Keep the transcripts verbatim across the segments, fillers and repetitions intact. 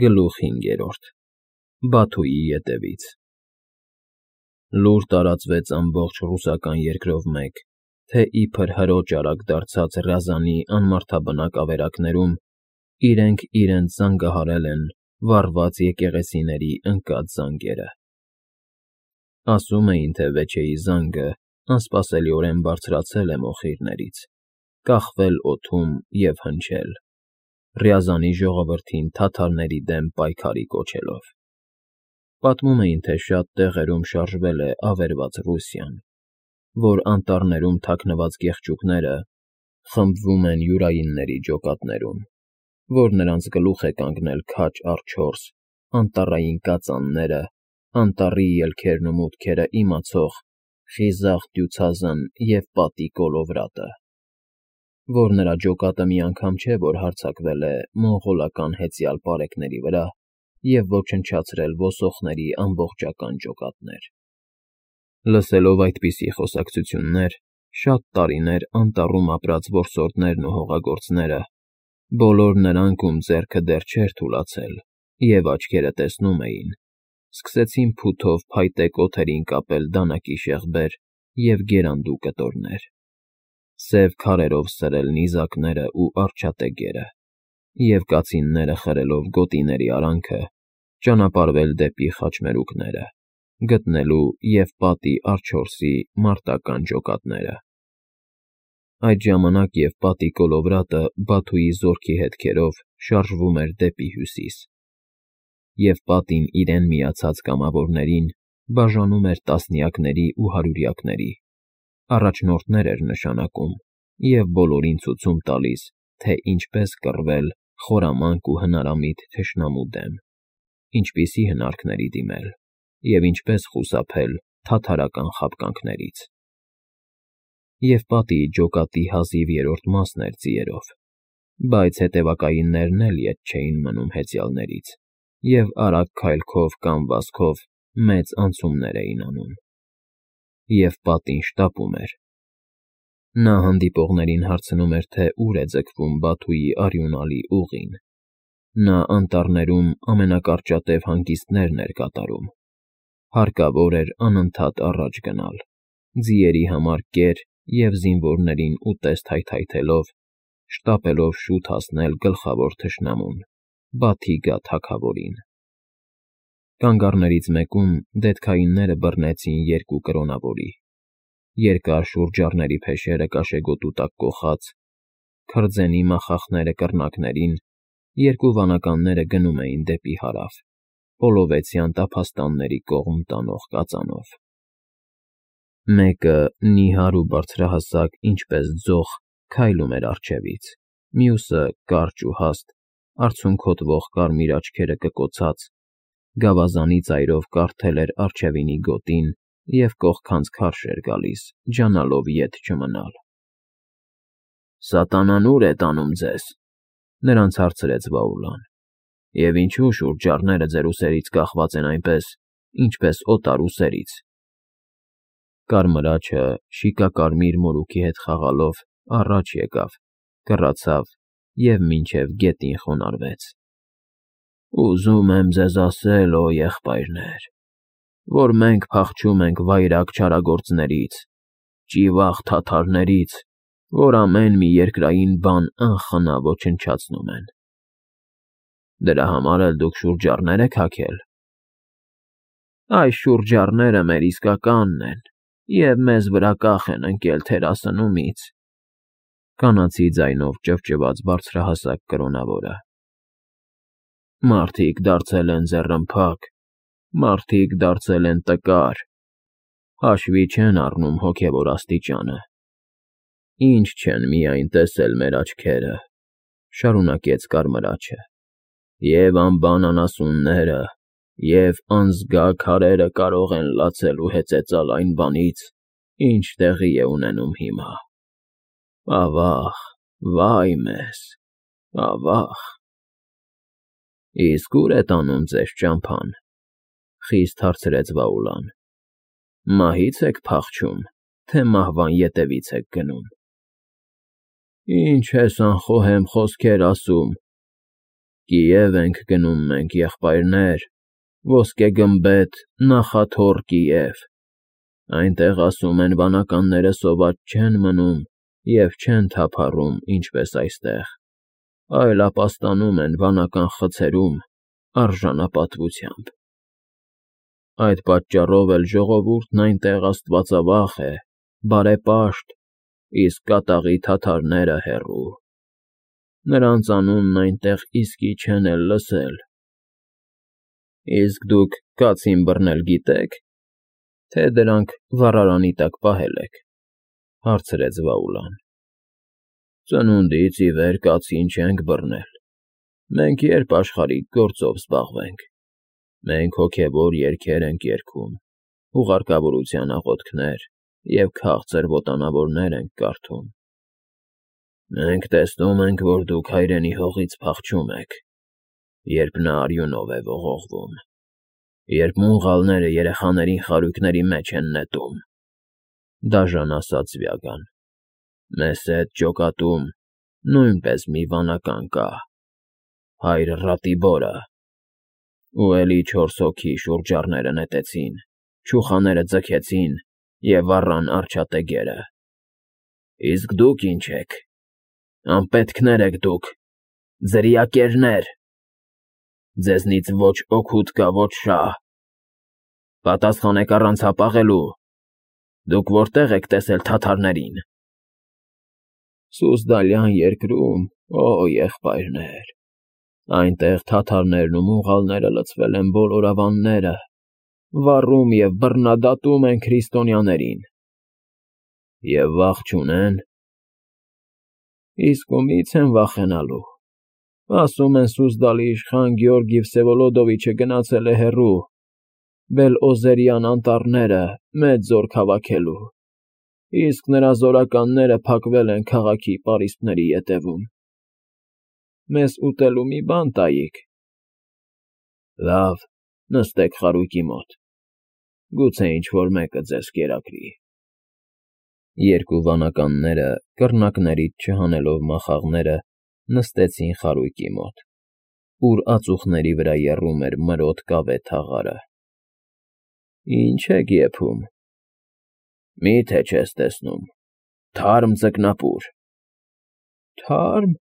Գլուխ հինգերորդ Բաթուի ետևից Լուր տարածվեց ամբողջ ռուսական երկրով մեկ, թե իբր հրոճ արագ դարձած Ռյազանի անմարդաբնակ ավերակներում իրենք իրենց զանգահարել են վառված եկեղեցիների ընկած զանգերը. ասում էին, թե Վեչեի զանգը անսպասելիորեն բարձրացել է մոխիրներից, կախվել օդում և հնչել, Ռյազանի ժողովրդին թաթարների դեմ պայքարի կոչելով. պատմում էին, թե շատ տեղերում շարժվել է ավերված Ռուսիան, որ անտառներում թաքնված կեղճուկները խմբվում են յուրայինների ջոկատներում, որ նրանց գլուխ է կանգնել քաջ առ չորս անտառային կածանները, անտառի ելքերն ու մուտքերը իմացող խիզախ դյուցազն և պատի կոլովրատը, որ նրա ջոկատը մի անգամ չէ, որ հարձակվել է մոնղոլական հեծյալ պարեկների վրա և ոչնչացրել ոսոխների ամբողջական ջոկատներ. Լսելով այդպիսի խոսակցություններ, շատ տարիներ անտառում ապրած որսորդներն ու հողագործները, բոլոր նրանք, ում ձեռքը դեռ չէր թուլացել և աչքերը տեսնում էին, սկսեցին փութով փայտե կոթերին կապել դանակի շեղբեր և գերանդու կտորներ, սև քարերով սրել նիզակներն ու արջատեգերը և կացինները խրելով գոտիների արանքը ճանապարհվել դեպի խաչմերուկները, գտնելու և պատի առ չորսի մարտական ջոկատները. Այդ ժամանակ և պատի կոլովրատը Բաթուի զորքի հետքերով շարժվում էր դեպի հյուսիս, և պատին իրեն միացած կամավորներին բաժանում էր տասնյակների ու հարյուրյակների, առաջնորդներ էր նշանակում և բոլորին ցուցում տալիս, թե ինչպես կռվել խորամանկ ու հնարամիտ թշնամու դեմ, ինչպիսի հնարքների դիմել և ինչպես խուսափել թաթարական խաբկանքներից. և պատի ջոկատի հազիվ երրորդ մասն էր ձիերով, բայց հետևակայիններն էլ ետ չէին մնում հեծյալներից և արագ քայլքով կամ վազքով մեծ անցումներ էին անում. և պատին շտապում էր. նա հանդիպողներին հարցնում էր, թե ուր է ձգվում Բաթուի արյունալի ուղին, նա անտառներում ամենակարճատև հանգիստներն էր կատարում, հարկավոր էր անընդհատ առաջ գնալ, ձիերի համար կեր և զինվորներին ուտեստ հայթայթելով, շտապելով շուտ հասնել գլխավոր թշնամուն՝ Բաթիգա թագավորին. Կանգառներից մեկում դետքայինները բռնեցին երկու կրոնավորի, երկար շուրջառների փեշերը կաշեգոտու տակ կոխած, քրձենի մախախները կռնակներին, երկու վանականները գնում էին դեպի հարավ, Պոլովեցյան տափաստանների կողմ տանող կածանով. մեկը նիհար ու բարձրահասակ ինչպես ձող քայլում էր առջևից, մյուսը կարճ ու հաստ, արցունքոտվող կարմիր աչքերը կկոցած, գավազանի ծայրով կարդել էր առջևինի գոտին և կողքանց քարշ էր գալիս, ջանալով ետ չմնալ։ ֊ Սատանան ու՞ր է տանում ձեզ,֊ նրանց հարցրեց Վաուլան,֊ և ինչո՞ւ շուրջառները ձեր ուսերից կախված են այնպես, ինչպես օտար ուսերից։ Կարմրաչը շիկակարմիր մորուքի հետ խաղալով առաջ եկավ, կռացավ և մինչև գետին խոնարհվեց։ ֊ Ուզում եմ ձեզ ասել, օ եղբայրներ, որ մենք փախչում ենք վայրագ չարագործներից, ճիվաղ թաթարներից, որ ամեն մի երկրային բան անխնա ոչնչացնում են։ ֊ Դրա համար էլ դուք շուրջառներ եք հագել։ ֊ Այս շուրջառները մեր իսկականն են և մեզ վրա կախ են ընկել թերասնումից,֊ կանացի ձայնով ճվճվաց բարձրահասակ կրոնավորը։ ֊ Մարդիկ դարձել են ձեռնափակ, մարդիկ դարձել են տկար, հաշվի չեն առնում հոգևոր աստիճանը։ Ինչ չեն միայն տեսել մեր աչքերը,֊ շարունակեց Կարմրաչը,֊ և անբան անասունները և անզգա քարերը կարող են լացել ու հեծեծալ այն բանից, ինչ տեղի է ունենում հիմա։ Ավա՜ղ, վա՜յ մեզ, ավա՜ղ… ֊ Իսկ ու՞ր է տանում ձեզ ճամփան,֊ խիստ հարցրեց Վաուլան,֊ մահի՞ց եք փախչում, թե մահվան ետևի՞ց եք գնում։ ֊ Ինչ ես անխոհեմ խոսքեր ասում,֊ Կիև ենք գնում մենք, եղբայրներ, ոսկեգմբեթ, նախաթոռ Կիև, այնտեղ ասում են վանականները սոված չեն մնում և չեն թափառում, ինչպես այստեղ, այլ ապաստանում են վանական խցերում արժանապատվությամբ։ Այդ պատճառով էլ ժողովուրդն այնտեղ աստվածավախ է, բարեպաշտ, իսկ կատաղի թաթարները հեռու։ Նրանց անունն այնտեղ իսկի չեն էլ լսել։ ֊ Իսկ դուք կացին բռնել գիտե՞ք, թե դրանք վառարանի տակ պահել եք,֊ հարցրեց Վաուլան։ ֊ Ծնունդից ի վեր կացին չենք բռնել, մենք երբ աշխարհիկ գործով զբաղվենք, մենք հոգևոր երգեր ենք երգում, հուղարկավորության աղոթքներ և քաղցր ոտանավորներ ենք կարդում։ Մենք տեսնում ենք, որ դուք հայրենի հողից փախչում եք, երբ նա արյունով է ողողվում, երբ մունղալները երեխաներին խարույկների մեջ են նետում,֊ դաժան ասաց Վյագան։ Մեզ հետ ջոկատում նույնպես մի վանական կա, հայր Ռատիբորը, ու էլի չորս հոգի շուրջառները նետեցին, չուխաները ձգեցին և վառան արջատեգերը։ Իսկ դուք ինչ եք, անպետքներ եք դուք, ձրիակերներ, ձեզնից ոչ օգուտ կա, ոչ շահ, պատասխանեք առանց հապաղելու, դուք որտե՞ղ եք տեսել թաթարներին։ ֊ Սուզդալյան երկրում, օ եղբայրներ, այնտեղ թաթարներն ու մունղալները լցվել են բոլոր ավանները, վառում և բռնադատում են քրիստոնյաներին։ Եվ վախ չունե՞ն։ Իսկ ումի՞ց են վախենալու, ասում են Սուզդալի իշխան Գեորգի Վսևոլոդովիչը գնացել է հեռու, Բել֊Օզերյան անտառները մեծ զորք հավաքելու, իսկ նրա զորականները փակվել են քաղաքի պարիսպների ետևում։ Մեզ ուտելու մի բան տայիք։ ֊ Լավ, նստեք խարույկի մոտ, գուցե ինչ֊որ մեկը ձեզ կերակրի։ Երկու վանականները, կռնակներից չհանելով մախաղները, նստեցին խարույկի մոտ, ուր ածուխների վրա եռում էր մրոտ կավե թաղարը։ ֊ Ի՞նչ եք եփում։ ֊ Մի՞թե չես տեսնում, թարմ ձկնապուր։ ֊ Թարմ,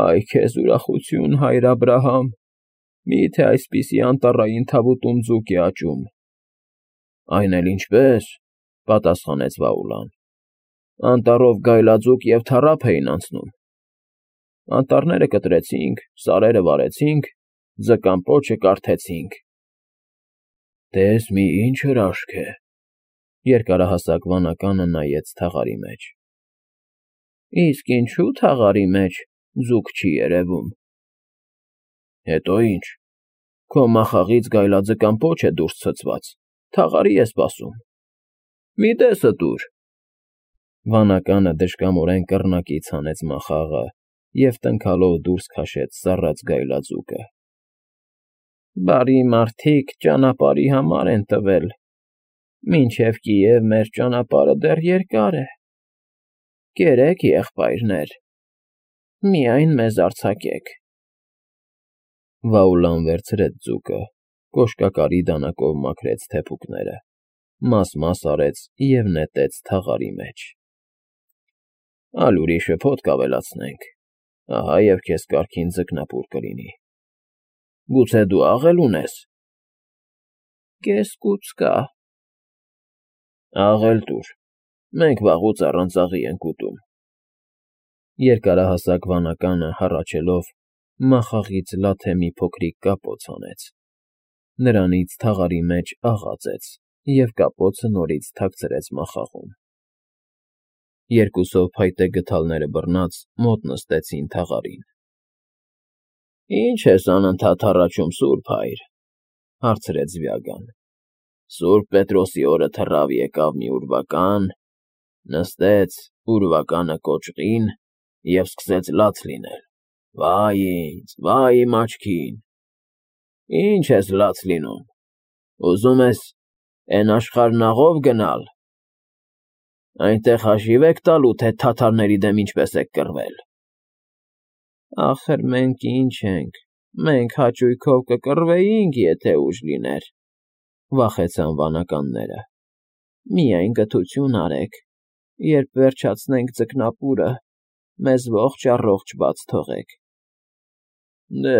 այ քեզ ուրախություն, հայր Աբրահամ, մի՞թե այսպիսի անտառային թավուտում ձուկ է աճում։ ֊ Այն էլ ինչպես,֊ պատասխանեց Վաուլան,֊ անտառով գայլաձուկ և թառափ էին անցնում։ Անտառները կտրեցինք, սարերը վառեցինք, ձկան պոչը կարդեցինք։ ֊ Տես մի ինչ հրաշք է,֊ երկարահասակ վանականը նայեց թաղարի մեջ։ ֊ Իսկ ինչու՞ թաղարի մեջ ձուկ չի երևում։ ֊ Հետո ինչ, քո մախաղից գայլաձկան պոչ է դուրս ցցված, թաղարի է սպասում։ Մի տեսը տուր։ Վանականը դժկամորեն կռնակից հանեց մախաղը և տնքալով դուրս քաշեց սառած գայլաձուկը։ ֊ Բարի մարդիկ ճանապարհի համար են տվել, մինչև Կիև մեր ճանապարհը դեռ երկար է։ Կերեք, եղբայրներ, միայն մեզ արձակեք։ Վաուլան վերցրեց ձուկը, կոշկակարի դանակով մաքրեց թեփուկները, մաս֊մաս արեց և նետեց թաղարի մեջ։ ֊ Ալ ուրիշը փոթ կավելացնենք, ահա և քեզ կարգին ձկնապուր կլինի։ Գուցե դու աղ էլ ունես։ ֊ Կես֊կուց կա։ ֊ Աղ էլ տուր, մենք վաղուց առանց աղի ենք ուտում։ Երկարահասակ վանականը, հառաչելով, մախաղից լաթե մի փոքրիկ կապոց հանեց, նրանից թաղարի մեջ աղ ածեց և կապոցը նորից թաքցրեց մախաղում։ Երկուսով փայտե գդալները բռնած մոտ նստեցին թաղարին։ ֊ Ի՞նչ ես անընդհատ հառաչում, սուրբ հայր,֊ հարցրեց Վյագան։ ֊ Սուրբ Պետրոսի օրը թռավ եկավ մի ուրվական, նստեց ուրվականը կոճղին և սկսեց լաց լինել։ Վա՜յ ինձ, վա՜յ իմ աչքին։ ֊ Ի՞նչ ես լաց լինում, ուզում ես էն աշխարհն աղո՞վ գնալ։ Այնտեղ հաշիվ եք տալու, թե թաթարների դեմ ինչպես եք կռվել։ ֊ Ախր մենք ի՞նչ ենք, Մենք հաճույքով կկռվեինք, եթե ուժ լիներ, վախեցան վանականները։ Միայն գթություն արեք, երբ վերջացնենք ձկնապուրը, մեզ ողջ֊առողջ բաց թողեք։ Դե,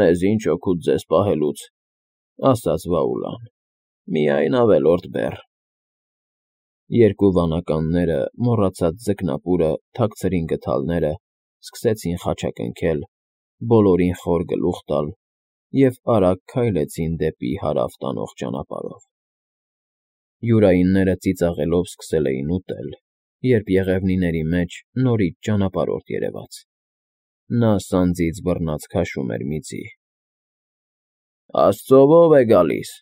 մեզ ինչ օգուտ ձեզ պահելուց, ասաց Վաուլան, միայն ավելորդ բեռ։ Երկու վանականները, մոռացած ձկնապուրը, թաքցրին գդալները, սկսեցին խաչակնքել, բոլորին խոր գլուխ տալ և արագ քայլեցին դեպի հարավ տանող ճանապարհով։ Յուրայինները ծիծաղելով սկսել էին ուտել, երբ եղևնիների մեջ նորից ճանապարհորդ երևաց։ Նա սանձից բռնած քաշում էր միծի։ Աստծո ո՞վ է գալիս։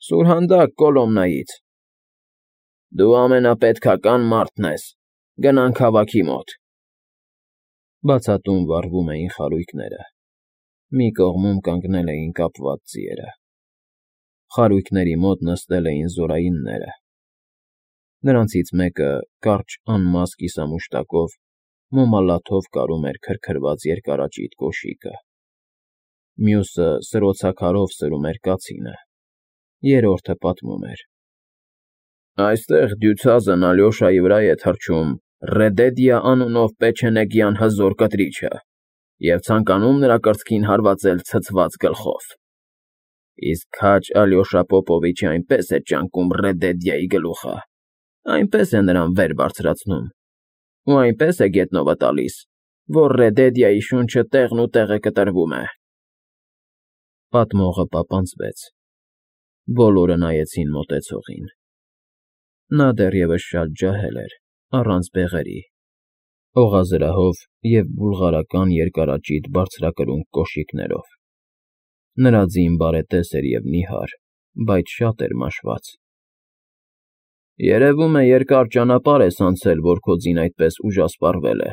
Սուրհանդակ Կոլոմնայից։ Դու ամենապետքական մարդն ես, գնանք քաղաքի մոտ։ Բացատում վառվում էին խարույկները։ Մի կողմում կանգնել էին կապված ձիերը։ Խարույկների մոտ նստել էին զորայինները։ Նրանցից մեկը, կարճ անմազ կիսամուշտակով, մոմալաթով կարում էր քրքրված երկարաճիտ կոշիկը։ Մյուսը սրոցաքարով սրում էր կացինը։ Երրորդը պատմում էր. Այստեղ դյուցազն Ալյոշայի վրա է թռչում Ռեդեդիա անունով պեչենեգյան հզոր կտրիչը և ցանկանում նրա կրծքին հարվածել ցցված գլխով։ Իսկ քաջ Ալյոշա Պոպովիչը այնպես է ճանկում Ռեդեդիայի գլուխը, այնպես է նրան վեր բարձրացնում ու այնպես է գետնովը տալիս, որ Ռեդեդիայի շունչը տեղնուտեղը կտրվում է։ Պատմողը պապանձվեց։ Բոլորը նայեցին մոտեցողին։ Նա դեռևս շատ ջահել էր, առանց բեղերի, օղազրահով և բուլղարական երկարաճիտ բարձրակրունկ կոշիկներով։ Նրա ձին բարետես էր և նիհար, բայց շատ էր մաշված։ Երևում է երկար ճանապարհ ես անցել, որ քո ձին այդպես ուժասպառվել է,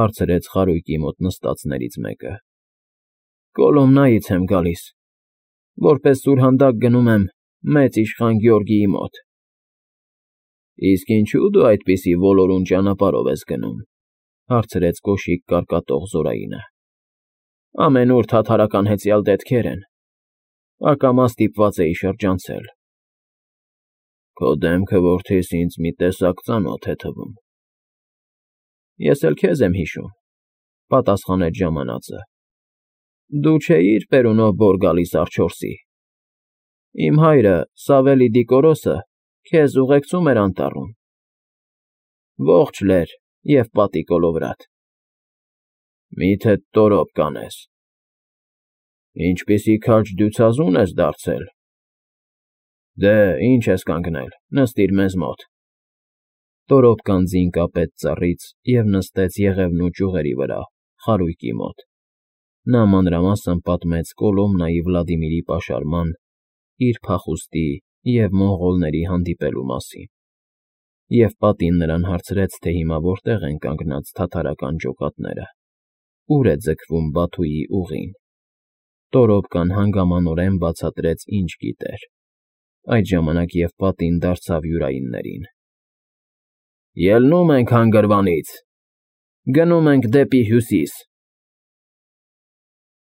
հարցրեց խարույկի մոտ նստածներից մեկը։ Կոլոմնայից եմ գալիս, որպես սուրհանդակ գնում եմ մեծ իշխան Գյորգիի մոտ։ Իսկ ինչու դու այդպիսի ոլորուն ճանապարհով ես գնում, հարցրեց կոշիկ կարկատող զորայինը։ Ամենուր թաթարական հեծյալ դետքեր են, ակամա ստիպված էի շրջանցել։ Քո դեմքը, որդիս, ինձ մի տեսակ ծանոթ է թվում։ Ես էլ քեզ եմ հիշում, պատասխանեց ժամանածը։ Դու չէիր Պերունով բոր գալիս Արջորսի։ Իմ հայրը, Սավելի Դիկորոսը, քեզ ուղեկցում էր անտառում։ Ողջ լեր և պատի կոլովրատ։ Մի՞թե տորոպ կանես։ Ինչպիսի քաջ դյուցազուն ես դարձել։ Դե, ինչ ես կանգնել, նստիր մեզ մոտ։ Տորոպկան ձին կապեց ծառից և նստեց եղևնու ճյուղերի վրա, խարույկի մոտ։ Նա մանրամասն պատմեց Կոլոմնայի Վլադիմիրի պաշարման, իր փախուստի և մոնղոլների հանդիպելու մասին, և պատին նրան հարցրեց, թե հիմա որտեղ են կանգնած թաթարական ջոկատները, ուր է ձգվում Բաթուի ուղին։ Տորոպկան հանգամանորեն բացատրեց, ինչ գիտեր։ Այդ ժամանակ և պատին դարձավ յուրայիններին. Ելնում ենք հանգրվանից, գնում ենք դեպի հյուսիս,